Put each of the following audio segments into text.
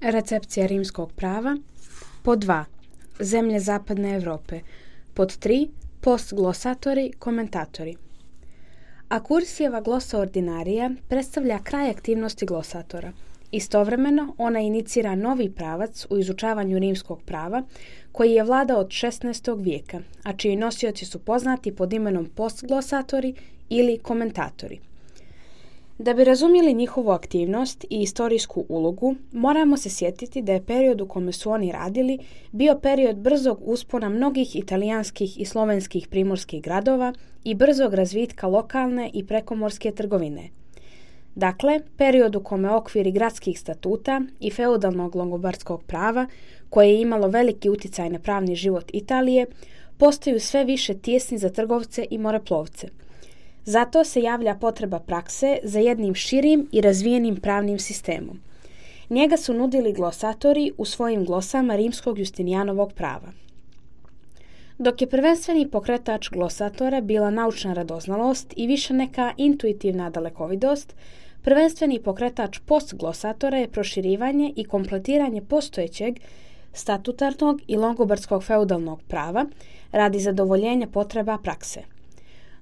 Recepcija rimskog prava. Pod 2. Zemlje zapadne Europe. Pod 3. Postglosatori, komentatori. Akursijeva glosa ordinarija predstavlja kraj aktivnosti glosatora. Istovremeno, ona inicira novi pravac u izučavanju rimskog prava koji je vladao od 16. vijeka, a čiji nosioci su poznati pod imenom postglosatori ili komentatori. Da bi razumjeli njihovu aktivnost i istorijsku ulogu, moramo se sjetiti da je period u kome su oni radili bio period brzog uspona mnogih italijanskih i slovenskih primorskih gradova i brzog razvitka lokalne i prekomorske trgovine. Dakle, period u kome okviri gradskih statuta i feudalnog longobardskog prava, koje je imalo veliki utjecaj na pravni život Italije, postaju sve više tijesni za trgovce i moreplovce. Zato se javlja potreba prakse za jednim širim i razvijenim pravnim sistemom. Njega su nudili glosatori u svojim glosama rimskog Justinijanovog prava. Dok je prvenstveni pokretač glosatora bila naučna radoznalost i više neka intuitivna dalekovidost, prvenstveni pokretač postglosatora je proširivanje i kompletiranje postojećeg statutarnog i longobardskog feudalnog prava radi zadovoljenja potreba prakse.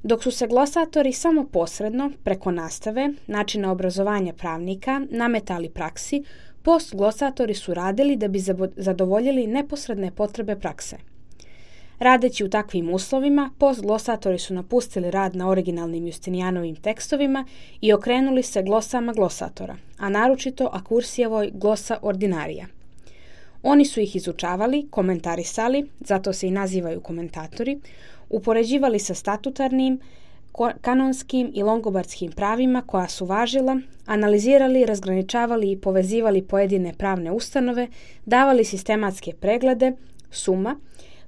Dok su se glosatori samo posredno, preko nastave, načina obrazovanja pravnika, nametali praksi, postglosatori su radili da bi zadovoljili neposredne potrebe prakse. Radeći u takvim uslovima, postglosatori su napustili rad na originalnim Justinijanovim tekstovima i okrenuli se glosama glosatora, a naročito Akursijevoj glosa ordinarija. Oni su ih izučavali, komentarisali, zato se i nazivaju komentatori, upoređivali sa statutarnim, kanonskim i longobardskim pravima koja su važila, analizirali, razgraničavali i povezivali pojedine pravne ustanove, davali sistematske preglede, suma,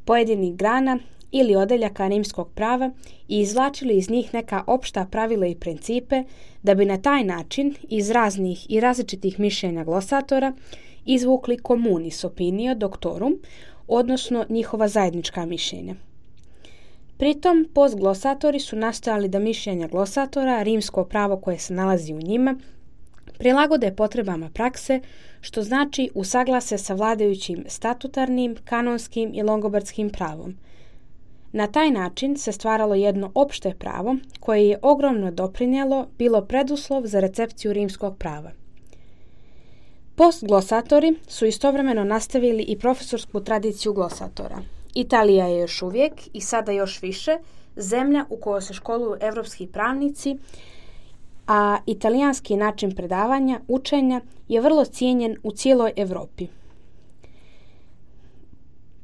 pojedinih grana ili odeljaka rimskog prava i izvlačili iz njih neka opšta pravila i principe da bi na taj način iz raznih i različitih mišljenja glosatora izvukli communis opinio doctorum, odnosno njihova zajednička mišljenja. Pritom, postglosatori su nastojali da mišljenja glosatora, rimsko pravo koje se nalazi u njima, prilagode potrebama prakse, što znači usaglase sa vladajućim statutarnim, kanonskim i longobardskim pravom. Na taj način se stvaralo jedno opšte pravo koje je ogromno doprinijelo bilo preduslov za recepciju rimskog prava. Postglosatori su istovremeno nastavili i profesorsku tradiciju glosatora. Italija je još uvijek i sada još više zemlja u kojoj se školuju evropski pravnici, a italijanski način predavanja, učenja je vrlo cijenjen u cijeloj Europi.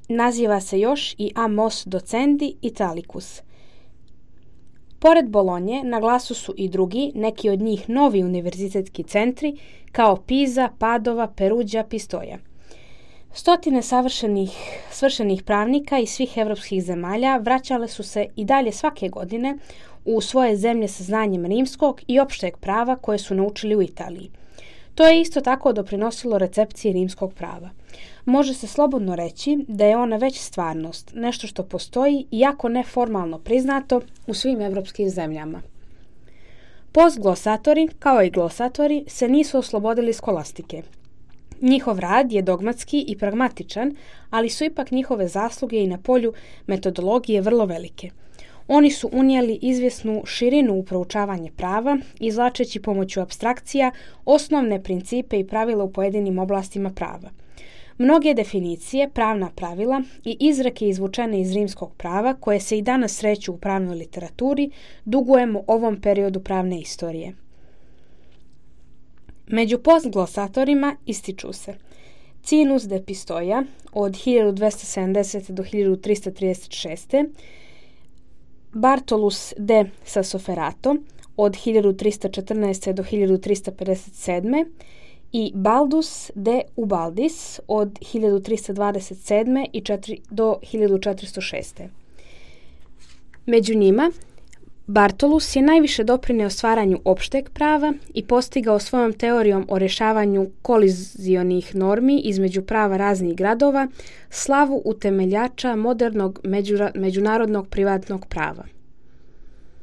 Naziva se još i Amos Docendi Italicus. Pored Bolonje na glasu su i drugi, neki od njih novi univerzitetski centri, kao Pisa, Padova, Peruđa, Pistoja. Stotine svršenih pravnika iz svih evropskih zemalja vraćale su se i dalje svake godine u svoje zemlje sa znanjem rimskog i opšteg prava koje su naučili u Italiji. To je isto tako doprinosilo recepciji rimskog prava. Može se slobodno reći da je ona već stvarnost, nešto što postoji, iako neformalno priznato, u svim evropskim zemljama. Postglosatori, kao i glosatori, se nisu oslobodili skolastike. Njihov rad je dogmatski i pragmatičan, ali su ipak njihove zasluge i na polju metodologije vrlo velike. Oni su unijeli izvjesnu širinu u proučavanje prava, izvlačeći pomoću apstrakcija osnovne principe i pravila u pojedinim oblastima prava. Mnoge definicije, pravna pravila i izreke izvučene iz rimskog prava, koje se i danas sreću u pravnoj literaturi, dugujemo ovom periodu pravne istorije. Među postglosatorima ističu se Cinus de Pistoia od 1270. do 1336. Bartolus de Sasoferato od 1314. do 1357. i Baldus de Ubaldis od 1327. do 1406. Među njima Bartolus je najviše doprinio stvaranju opšteg prava i postigao svojom teorijom o rješavanju kolizionih normi između prava raznih gradova slavu utemeljača modernog međunarodnog privatnog prava.